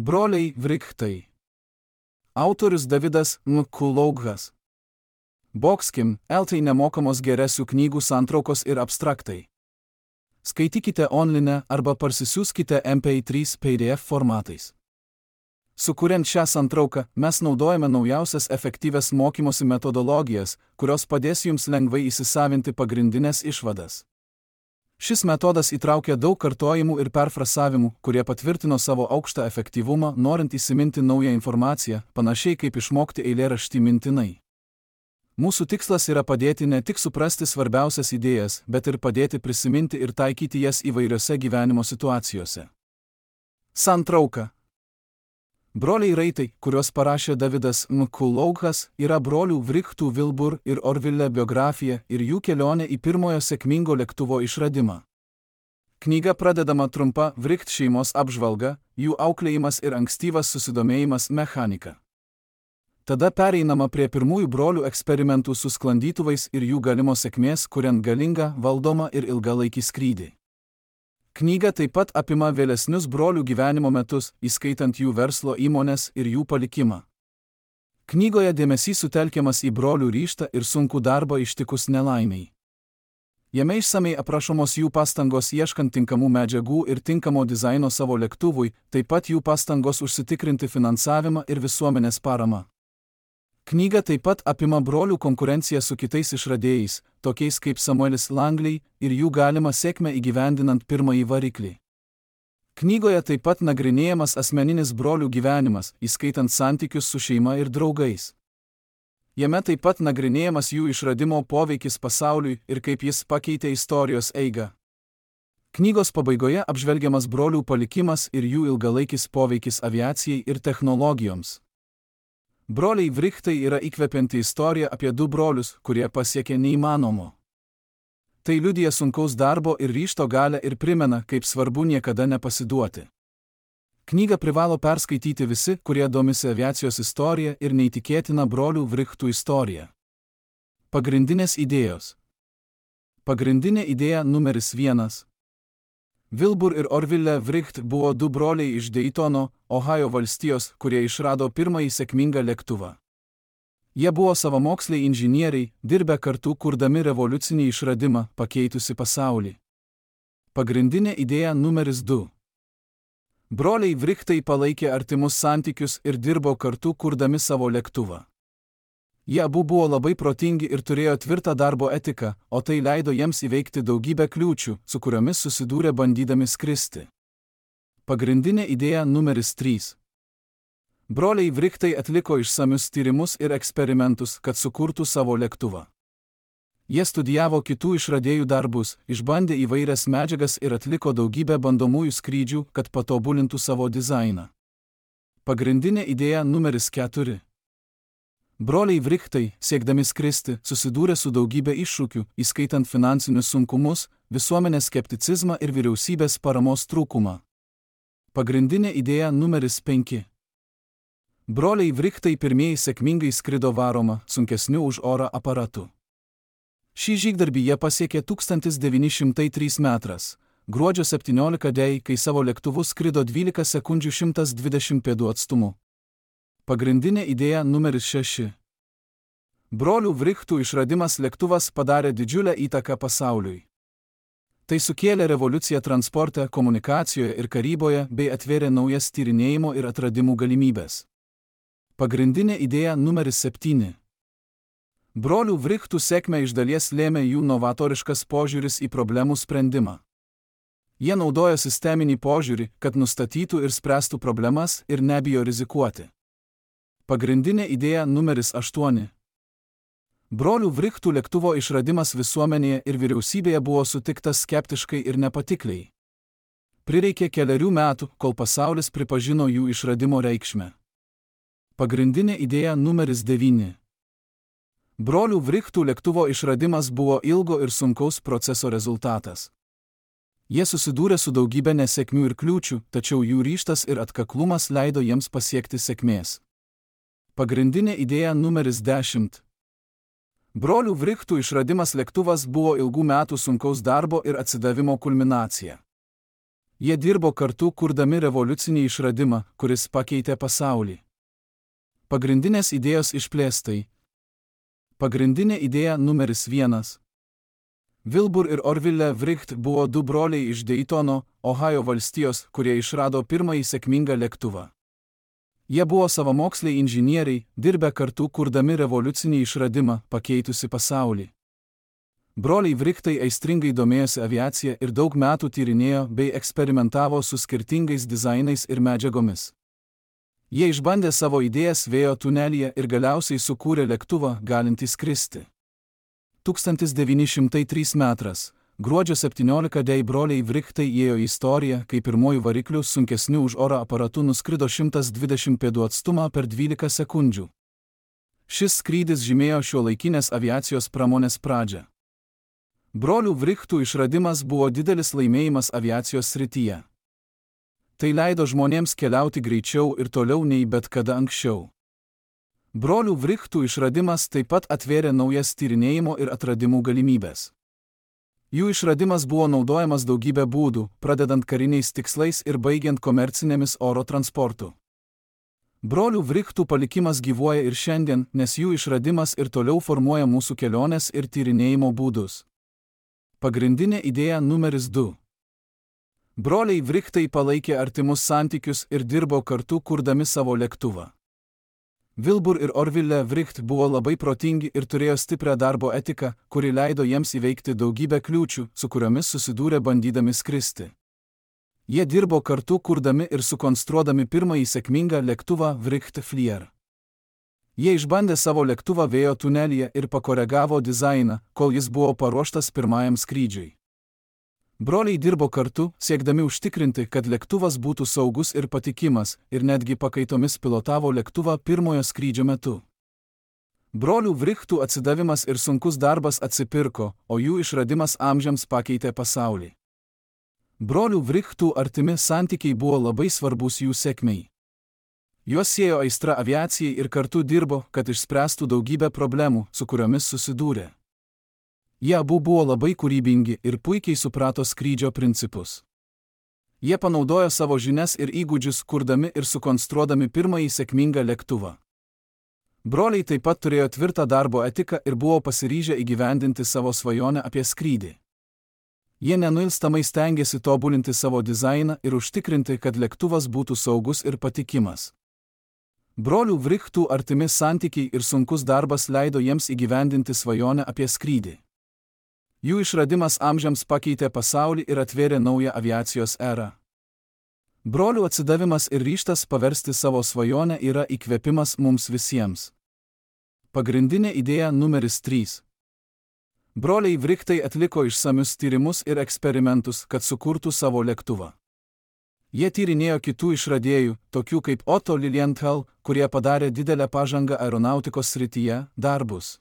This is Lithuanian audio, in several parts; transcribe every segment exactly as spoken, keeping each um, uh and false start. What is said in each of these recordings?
Broliai Vrichtai. Autorius Davidas Mkuloughas. Boxkim, eltai nemokamos geresių knygų santraukos ir abstraktai. Skaitykite online arba parsisiųskite M P trys P D F formatais. Sukuriant šią santrauką, mes naudojame naujausias efektyvias mokymosi metodologijas, kurios padės jums lengvai įsisavinti pagrindinės išvadas. Šis metodas įtraukia daug kartojimų ir perfrasavimų, kurie patvirtino savo aukštą efektyvumą, norint įsiminti naują informaciją, panašiai kaip išmokti eilėraštį mintinai. Mūsų tikslas yra padėti ne tik suprasti svarbiausias idėjas, bet ir padėti prisiminti ir taikyti jas įvairiose gyvenimo situacijose. Santrauka. Broliai Raitai, kuriuos parašė Davidas Mkuloughas, yra brolių Vrichtų Wilbur ir Orville biografija ir jų kelionė į pirmojo sėkmingo lėktuvo išradimą. Knyga pradedama trumpa Vricht šeimos apžvalga, jų auklėjimas ir ankstyvas susidomėjimas mechanika. Tada pereinama prie pirmųjų brolių eksperimentų su sklandytuvais ir jų galimos sėkmės, kuriant galingą, valdomą ir ilgalaikį skrydį. Knyga taip pat apima vėlesnius brolių gyvenimo metus, įskaitant jų verslo įmones ir jų palikimą. Knygoje dėmesys sutelkiamas į brolių ryžtą ir sunkų darbą ištikus nelaimiai. Jame išsamei aprašomos jų pastangos ieškant tinkamų medžiagų ir tinkamo dizaino savo lėktuvui, taip pat jų pastangos užsitikrinti finansavimą ir visuomenės paramą. Knyga taip pat apima brolių konkurenciją su kitais išradėjais, tokiais kaip Samuelis Langley, ir jų galimą sėkmę įgyvendinant pirmąjį variklį. Knygoje taip pat nagrinėjamas asmeninis brolių gyvenimas, įskaitant santykius su šeima ir draugais. Jame taip pat nagrinėjamas jų išradimo poveikis pasauliui ir kaip jis pakeitė istorijos eigą. Knygos pabaigoje apžvelgiamas brolių palikimas ir jų ilgalaikis poveikis aviacijai ir technologijoms. Broliai Vrichtai yra įkvepianti istorija apie du brolius, kurie pasiekė neįmanomo. Tai liudija sunkaus darbo ir ryžto galią ir primena, kaip svarbu niekada nepasiduoti. Knygą privalo perskaityti visi, kurie domisi aviacijos istorija ir neįtikėtina brolių Vrichtų istorija. Pagrindinės idėjos. Pagrindinė idėja numeris vienas. Wilbur ir Orville Vricht buvo du broliai iš Daytono, Ohajo valstijos, kurie išrado pirmąjį sėkmingą lėktuvą. Jie buvo savamoksliai inžinieriai, dirbę kartu kurdami revoliucinį išradimą, pakeitusi pasaulį. Pagrindinė idėja numeris du. Broliai Vrichtai palaikė artimus santykius ir dirbo kartu kurdami savo lėktuvą. Jie abu buvo labai protingi ir turėjo tvirtą darbo etiką, o tai leido jiems įveikti daugybę kliūčių, su kuriomis susidūrė bandydami skristi. Pagrindinė idėja numeris trys. Broliai Vrichtai atliko išsamius tyrimus ir eksperimentus, kad sukurtų savo lėktuvą. Jie studijavo kitų išradėjų darbus, išbandė įvairias medžiagas ir atliko daugybę bandomųjų skrydžių, kad patobulintų savo dizainą. Pagrindinė idėja numeris keturi. Broliai Vrichtai, siekdami skristi, susidūrė su daugybė iššūkių, įskaitant finansinius sunkumus, visuomenės skepticizmą ir vyriausybės paramos trūkumą. Pagrindinė idėja numeris penki. Broliai Vrichtai pirmieji sėkmingai skrido varoma, sunkesniu už orą aparatu. Šį žygdarbį jie pasiekė tūkstantis devyni šimtai trečias metras, gruodžio septynioliktą dieną, kai savo lėktuvu skrido dvylika sekundžių šimtas dvidešimt pėdų atstumu. Pagrindinė idėja numeris šeši. Brolių Vrichtų išradimas lėktuvas padarė didžiulę įtaką pasauliui. Tai sukėlė revoliuciją transporte, komunikacijoje ir karyboje bei atvėrė naujas tyrinėjimo ir atradimų galimybės. Pagrindinė idėja numeris septyni. Brolių Vrichtų sėkmę iš dalies lėmė jų novatoriškas požiūris į problemų sprendimą. Jie naudojo sisteminį požiūrį, kad nustatytų ir spręstų problemas ir nebijo rizikuoti. Pagrindinė idėja numeris aštuoni. Brolių Vrichtų lėktuvo išradimas visuomenėje ir vyriausybėje buvo sutiktas skeptiškai ir nepatikliai. Prireikė kelerių metų, kol pasaulis pripažino jų išradimo reikšmę. Pagrindinė idėja numeris devyni. Brolių Vrichtų lėktuvo išradimas buvo ilgo ir sunkaus proceso rezultatas. Jie susidūrė su daugybė nesėkmių ir kliūčių, tačiau jų ryžtas ir atkaklumas leido jiems pasiekti sėkmės. Pagrindinė idėja numeris dešimt. Brolių Vrichtų išradimas lėktuvas buvo ilgų metų sunkaus darbo ir atsidavimo kulminacija. Jie dirbo kartu, kurdami revoliucinį išradimą, kuris pakeitė pasaulį. Pagrindinės idėjos išplėstai. Pagrindinė idėja numeris vienas. Wilbur ir Orville Wright buvo du broliai iš Daytono, Ohajo valstijos, kurie išrado pirmąjį sėkmingą lėktuvą. Jie buvo savamoksliai inžinieriai, dirbę kartu kurdami revoliucinį išradimą, pakeitusi pasaulį. Broliai Wrightai aistringai domėjosi aviacija ir daug metų tyrinėjo bei eksperimentavo su skirtingais dizainais ir medžiagomis. Jie išbandė savo idėjas vėjo tunelyje ir galiausiai sukūrė lėktuvą, galintį skristi. tūkstantis devyni šimtai trečias metras, gruodžio septynioliktą dieną broliai Wrightai įėjo į istoriją, kai pirmojų variklių sunkesnių už oro aparatų nuskrido šimtas dvidešimt pėdų atstumą per dvylika sekundžių. Šis skrydis žymėjo šiuolaikinės aviacijos pramonės pradžią. Brolių Wrightų išradimas buvo didelis laimėjimas aviacijos srityje. Tai leido žmonėms keliauti greičiau ir toliau nei bet kada anksčiau. Brolių Wrightų išradimas taip pat atvėrė naujas tyrinėjimo ir atradimų galimybės. Jų išradimas buvo naudojamas daugybę būdų, pradedant kariniais tikslais ir baigiant komercinėmis oro transportu. Brolių Wrightų palikimas gyvuoja ir šiandien, nes jų išradimas ir toliau formuoja mūsų kelionės ir tyrinėjimo būdus. Pagrindinė idėja numeris du. Broliai Wrightai palaikė artimus santykius ir dirbo kartu kurdami savo lėktuvą. Wilbur ir Orville Wright buvo labai protingi ir turėjo stiprią darbo etiką, kuri leido jiems įveikti daugybę kliūčių, su kuriomis susidūrė bandydami skristi. Jie dirbo kartu kurdami ir sukonstruodami pirmąjį sėkmingą lėktuvą Wright Flyer. Jie išbandė savo lėktuvą vėjo tunelyje ir pakoregavo dizainą, kol jis buvo paruoštas pirmajam skrydžiui. Broliai dirbo kartu, siekdami užtikrinti, kad lėktuvas būtų saugus ir patikimas, ir netgi pakaitomis pilotavo lėktuvą pirmojo skrydžio metu. Brolių Wrightų atsidavimas ir sunkus darbas atsipirko, o jų išradimas amžiams pakeitė pasaulį. Brolių Wrightų artimi santykiai buvo labai svarbus jų sėkmei. Juos siejo aistra aviacijai ir kartu dirbo, kad išspręstų daugybę problemų, su kuriomis susidūrė. Jie abu buvo labai kūrybingi ir puikiai suprato skrydžio principus. Jie panaudojo savo žinias ir įgūdžius, kurdami ir sukonstruodami pirmąjį sėkmingą lėktuvą. Broliai taip pat turėjo tvirtą darbo etiką ir buvo pasiryžę įgyvendinti savo svajonę apie skrydį. Jie nenuilstamai stengėsi tobulinti savo dizainą ir užtikrinti, kad lėktuvas būtų saugus ir patikimas. Brolių Wrightų artimi santykiai ir sunkus darbas leido jiems įgyvendinti svajonę apie skrydį. Jų išradimas amžiams pakeitė pasaulį ir atvėrė naują aviacijos erą. Brolių atsidavimas ir ryžtas paversti savo svajonę yra įkvėpimas mums visiems. Pagrindinė idėja numeris trys. Broliai Wrightai atliko išsamius tyrimus ir eksperimentus, kad sukurtų savo lėktuvą. Jie tyrinėjo kitų išradėjų, tokių kaip Otto Lilienthal, kurie padarė didelę pažangą aeronautikos srityje, darbus.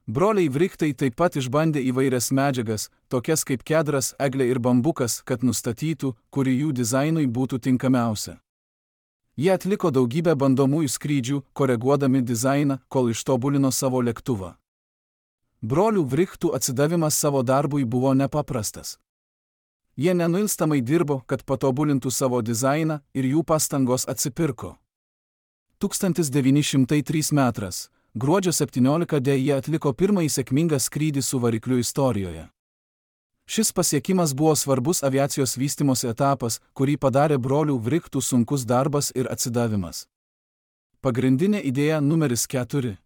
Broliai Wrightai taip pat išbandė įvairias medžiagas, tokias kaip kedras, eglė ir bambukas, kad nustatytų, kuri jų dizainui būtų tinkamiausia. Jie atliko daugybę bandomųjų skrydžių, koreguodami dizainą, kol ištobulino savo lėktuvą. Brolių Wrightų atsidavimas savo darbui buvo nepaprastas. Jie nenuilstamai dirbo, kad patobulintų savo dizainą ir jų pastangos atsipirko. tūkstantis devyni šimtai trečias metras. Gruodžio septynioliktą dieną jie atliko pirmąjį sėkmingą skrydį su varikliu istorijoje. Šis pasiekimas buvo svarbus aviacijos vystymosi etapas, kurį padarė brolių Wrightų sunkus darbas ir atsidavimas. Pagrindinė idėja numeris keturi.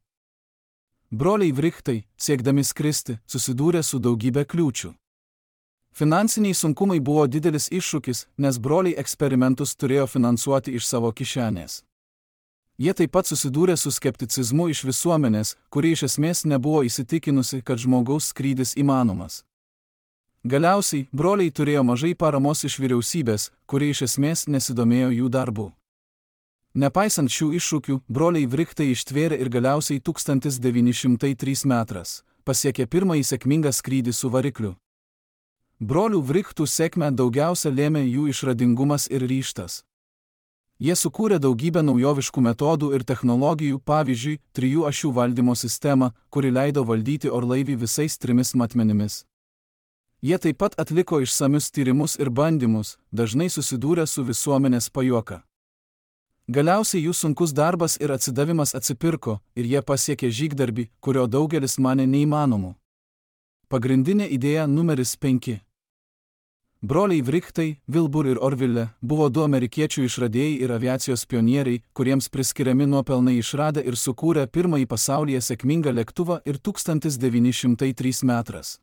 Broliai Wrightai, siekdami skristi, susidūrė su daugybė kliūčių. Finansiniai sunkumai buvo didelis iššūkis, nes broliai eksperimentus turėjo finansuoti iš savo kišenės. Jie taip pat susidūrė su skepticizmu iš visuomenės, kuri iš esmės nebuvo įsitikinusi, kad žmogaus skrydis įmanomas. Galiausiai, broliai turėjo mažai paramos iš vyriausybės, kuri iš esmės nesidomėjo jų darbu. Nepaisant šių iššūkių, broliai Wrightai ištvėrė ir galiausiai tūkstantis devyni šimtai trečias metras pasiekė pirmąjį sėkmingą skrydį su varikliu. Brolių Wrightų sėkmę daugiausia lėmė jų išradingumas ir ryžtas. Jie sukūrė daugybę naujoviškų metodų ir technologijų, pavyzdžiui, trijų ašių valdymo sistemą, kuri leido valdyti orlaivį visais trimis matmenimis. Jie taip pat atliko išsamius tyrimus ir bandymus, dažnai susidūrę su visuomenės pajuoka. Galiausiai jų sunkus darbas ir atsidavimas atsipirko ir jie pasiekė žygdarbį, kurio daugelis manė neįmanomu. Pagrindinė idėja numeris penki. Broliai Wrightai, Wilbur ir Orville, buvo du amerikiečių išradėjai ir aviacijos pionieriai, kuriems priskiriami nuopelnai išradę ir sukūrę pirmąjį pasaulyje sėkmingą lėktuvą ir tūkstantis devyni šimtai trečias metras.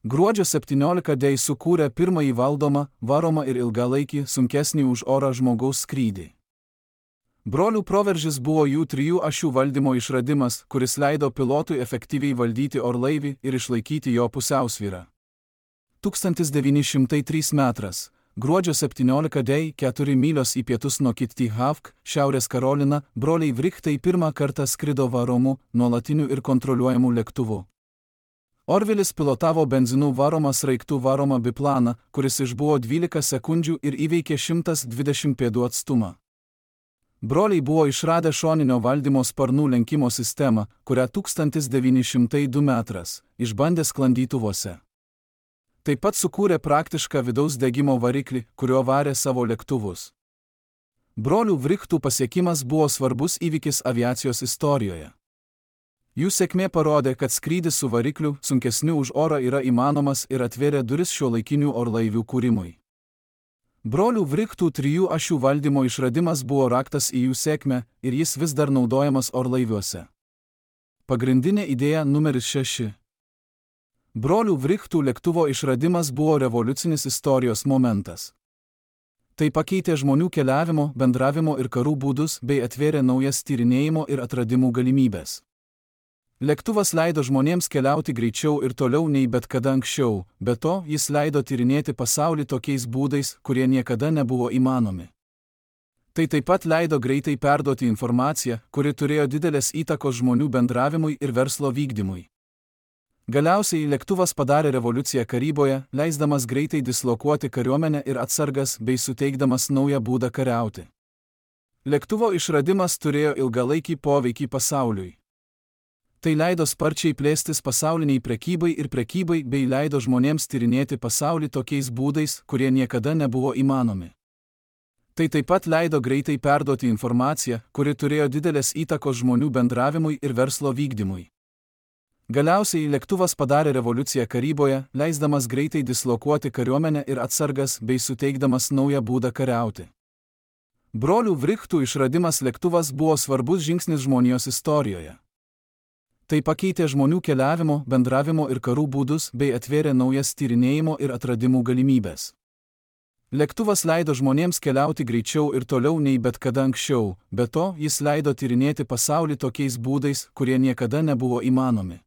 Gruodžio septynioliktą dieną sukūrė pirmąjį valdomą, varomą ir ilgalaikį, sunkesnį už orą žmogaus skrydį. Brolių proveržis buvo jų trijų ašių valdymo išradimas, kuris leido pilotui efektyviai valdyti orlaivį ir išlaikyti jo pusiausvyrą. tūkstantis devyni šimtai trečias metras, gruodžio septynioliktą dieną, keturi mylios į pietus nuo Kitty Hawk, Šiaurės Karolina, broliai Wrightai pirmą kartą skrido varomu, nuolatiniu ir kontroliuojamu lėktuvu. Orvillis pilotavo benzinų varomą sraigtų varomą biplaną, kuris išbuvo dvylika sekundžių ir įveikė šimtas dvidešimt pėdų atstumą. Broliai buvo išradę šoninio valdymo sparnų lenkimo sistemą, kurią tūkstantis devyni šimtai du metras išbandė sklandytuvuose. Taip pat sukūrė praktišką vidaus degimo variklį, kuriuo varė savo lėktuvus. Brolių Wrightų pasiekimas buvo svarbus įvykis aviacijos istorijoje. Jų sėkmė parodė, kad skrydis su varikliu, sunkesniu už orą, yra įmanomas ir atvėrė duris šiuolaikinių orlaivių kūrimui. Brolių Wrightų trijų ašių valdymo išradimas buvo raktas į jų sėkmę ir jis vis dar naudojamas orlaiviuose. Pagrindinė idėja numeris šeši. Brolių Wrightų lėktuvo išradimas buvo revoliucinis istorijos momentas. Tai pakeitė žmonių keliavimo, bendravimo ir karų būdus bei atvėrė naujas tyrinėjimo ir atradimų galimybės. Lėktuvas leido žmonėms keliauti greičiau ir toliau nei bet kada anksčiau, be to jis leido tyrinėti pasaulį tokiais būdais, kurie niekada nebuvo įmanomi. Tai taip pat leido greitai perduoti informaciją, kuri turėjo didelės įtakos žmonių bendravimui ir verslo vykdymui. Galiausiai lėktuvas padarė revoliuciją karyboje, leisdamas greitai dislokuoti kariuomenę ir atsargas bei suteikdamas naują būdą kariauti. Lėktuvo išradimas turėjo ilgalaikį poveikį pasauliui. Tai leido sparčiai plėstis pasauliniai prekybai ir prekybai bei leido žmonėms tyrinėti pasaulį tokiais būdais, kurie niekada nebuvo įmanomi. Tai taip pat leido greitai perduoti informaciją, kuri turėjo didelės įtakos žmonių bendravimui ir verslo vykdymui. Galiausiai lėktuvas padarė revoliuciją karyboje, leisdamas greitai dislokuoti kariuomenę ir atsargas bei suteikdamas naują būdą kariauti. Brolių Wrightų išradimas lėktuvas buvo svarbus žingsnis žmonijos istorijoje. Tai pakeitė žmonių keliavimo, bendravimo ir karų būdus bei atvėrė naujas tyrinėjimo ir atradimų galimybės. Lėktuvas leido žmonėms keliauti greičiau ir toliau nei bet kada anksčiau, be to jis leido tyrinėti pasaulį tokiais būdais, kurie niekada nebuvo įmanomi.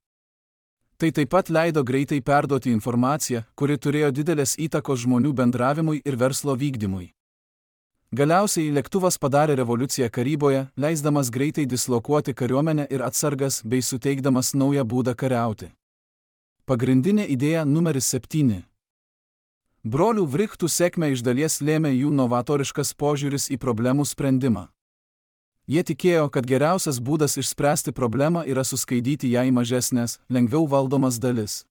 Tai taip pat leido greitai perduoti informaciją, kuri turėjo didelės įtakos žmonių bendravimui ir verslo vykdymui. Galiausiai lėktuvas padarė revoliuciją karyboje, leisdamas greitai dislokuoti kariuomenę ir atsargas bei suteikdamas naują būdą kariauti. Pagrindinė idėja numeris septyni. Brolių Wrightų sėkmę iš dalies lėmė jų novatoriškas požiūris į problemų sprendimą. Jie tikėjo, kad geriausias būdas išspręsti problemą yra suskaidyti ją į mažesnės, lengviau valdomas dalis.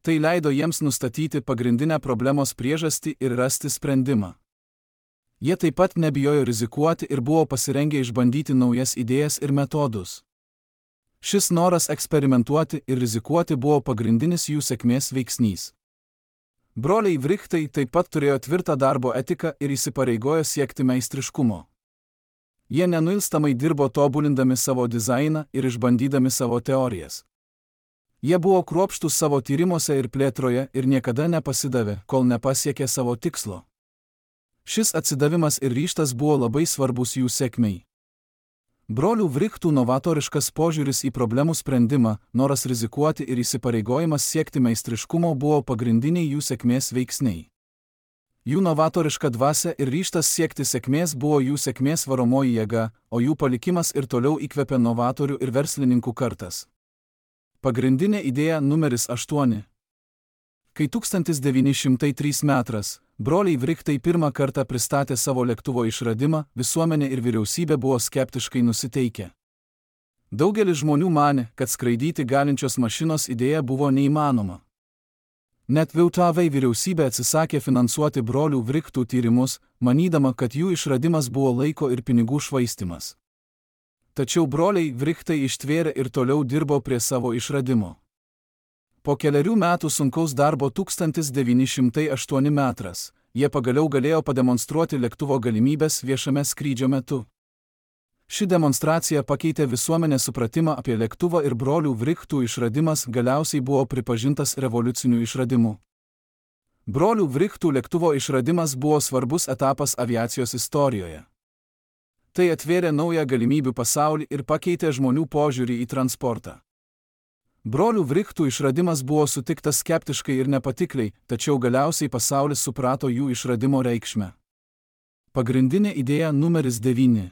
Tai leido jiems nustatyti pagrindinę problemos priežastį ir rasti sprendimą. Jie taip pat nebijojo rizikuoti ir buvo pasirengę išbandyti naujas idėjas ir metodus. Šis noras eksperimentuoti ir rizikuoti buvo pagrindinis jų sėkmės veiksnys. Broliai Wrightai taip pat turėjo tvirtą darbo etiką ir įsipareigojo siekti meistriškumo. Jie nenuilstamai dirbo tobulindami savo dizainą ir išbandydami savo teorijas. Jie buvo kruopštūs savo tyrimuose ir plėtroje ir niekada nepasidavė, kol nepasiekė savo tikslo. Šis atsidavimas ir ryžtas buvo labai svarbus jų sėkmei. Brolių Wrightų novatoriškas požiūris į problemų sprendimą, noras rizikuoti ir įsipareigojimas siekti meistriškumo buvo pagrindiniai jų sėkmės veiksniai. Jų novatoriška dvasia ir ryžtas siekti sėkmės buvo jų sėkmės varomoji jėga, o jų palikimas ir toliau įkvepia novatorių ir verslininkų kartas. Pagrindinė idėja numeris aštuoni. Kai tūkstantis devyni šimtai trečias metras, broliai Wrightai pirmą kartą pristatė savo lėktuvo išradimą, visuomenė ir vyriausybė buvo skeptiškai nusiteikę. Daugelis žmonių manė, kad skraidyti galinčios mašinos idėja buvo neįmanoma. Net Vietnamo vyriausybė atsisakė finansuoti brolių Vrichtų tyrimus, manydama, kad jų išradimas buvo laiko ir pinigų švaistymas. Tačiau broliai Vrichtai ištvėrė ir toliau dirbo prie savo išradimo. Po keliarių metų sunkaus darbo tūkstantis devyni šimtai aštuoni metras, jie pagaliau galėjo pademonstruoti lėktuvo galimybės viešame skrydžio metu. Ši demonstracija pakeitė visuomenės supratimą apie lėktuvą ir brolių Vrichtų išradimas galiausiai buvo pripažintas revoliuciniu išradimu. Brolių Vrichtų lėktuvo išradimas buvo svarbus etapas aviacijos istorijoje. Tai atvėrė naują galimybių pasaulį ir pakeitė žmonių požiūrį į transportą. Brolių Vrichtų išradimas buvo sutiktas skeptiškai ir nepatikliai, tačiau galiausiai pasaulis suprato jų išradimo reikšmę. Pagrindinė idėja numeris devyni.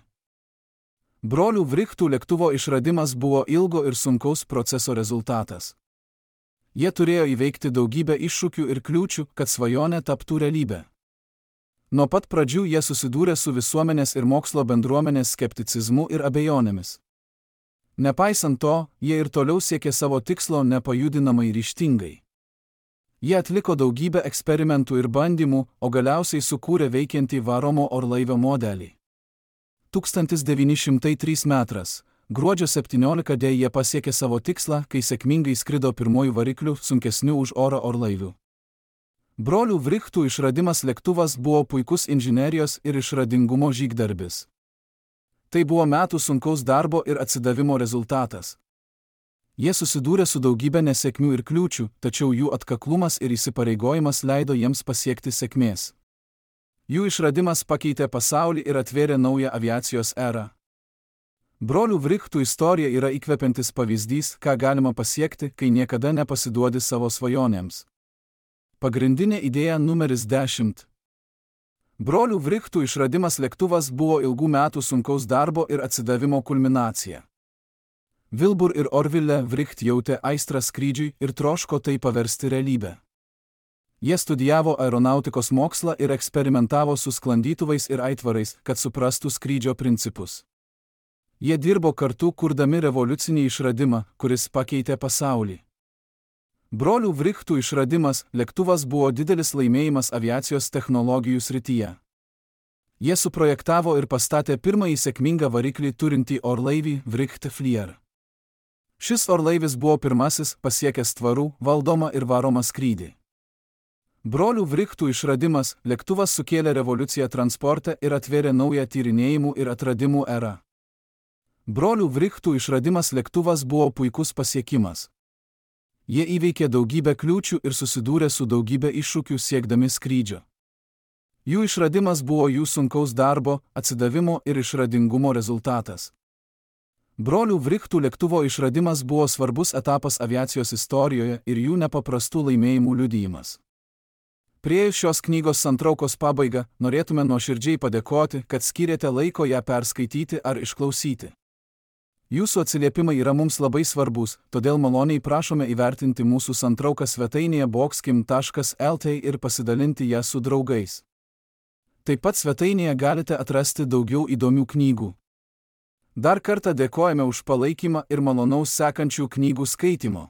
Brolių Vrichtų lėktuvo išradimas buvo ilgo ir sunkaus proceso rezultatas. Jie turėjo įveikti daugybę iššūkių ir kliūčių, kad svajonė taptų realybė. Nuo pat pradžių jie susidūrė su visuomenės ir mokslo bendruomenės skepticizmu ir abejonėmis. Nepaisant to, jie ir toliau siekė savo tikslo nepajudinamai ryžtingai. Jie atliko daugybę eksperimentų ir bandymų, o galiausiai sukūrė veikiantį varomo orlaivio modelį. tūkstantis devyni šimtai trečias metras, gruodžio septynioliktą dieną jie pasiekė savo tikslą, kai sėkmingai skrido pirmojų variklių sunkesnių už orą orlaivių. Brolių Vrichtų išradimas lėktuvas buvo puikus inžinerijos ir išradingumo žygdarbis. Tai buvo metų sunkaus darbo ir atsidavimo rezultatas. Jie susidūrė su daugybė nesėkmių ir kliūčių, tačiau jų atkaklumas ir įsipareigojimas leido jiems pasiekti sėkmės. Jų išradimas pakeitė pasaulį ir atvėrė naują aviacijos erą. Brolių Vrichtų istorija yra įkvepiantis pavyzdys, ką galima pasiekti, kai niekada nepasiduodi savo svajonėms. Pagrindinė idėja numeris dešimt. Brolių Vrichtų išradimas lėktuvas buvo ilgų metų sunkaus darbo ir atsidavimo kulminacija. Wilbur ir Orville Vricht jautė aistrą skrydžiui ir troško tai paversti realybę. Jie studijavo aeronautikos mokslą ir eksperimentavo su sklandytuvais ir aitvarais, kad suprastų skrydžio principus. Jie dirbo kartu, kurdami revoliucinį išradimą, kuris pakeitė pasaulį. Brolių Vrichtų išradimas lėktuvas buvo didelis laimėjimas aviacijos technologijų srityje. Jie suprojektavo ir pastatė pirmąjį sėkmingą variklį turintį orlaivį Vricht Flyer. Šis orlaivis buvo pirmasis pasiekęs tvarų, valdomą ir varomą skrydį. Brolių Vrichtų išradimas lėktuvas sukėlė revoliuciją transporte ir atvėrė naują tyrinėjimų ir atradimų erą. Brolių Vrichtų išradimas lėktuvas buvo puikus pasiekimas. Jie įveikė daugybę kliūčių ir susidūrė su daugybė iššūkių siekdami skrydžio. Jų išradimas buvo jų sunkaus darbo, atsidavimo ir išradingumo rezultatas. Brolių Vrichtų lėktuvo išradimas buvo svarbus etapas aviacijos istorijoje ir jų nepaprastų laimėjimų liudijimas. Priėjus šios knygos santraukos pabaigą, norėtume nuoširdžiai padėkoti, kad skyrėte laiko ją perskaityti ar išklausyti. Jūsų atsiliepimai yra mums labai svarbus, todėl maloniai prašome įvertinti mūsų santrauką svetainėje boxkim taškas el t ir pasidalinti ją su draugais. Taip pat svetainėje galite atrasti daugiau įdomių knygų. Dar kartą dėkojame už palaikymą ir malonaus sekančių knygų skaitimo.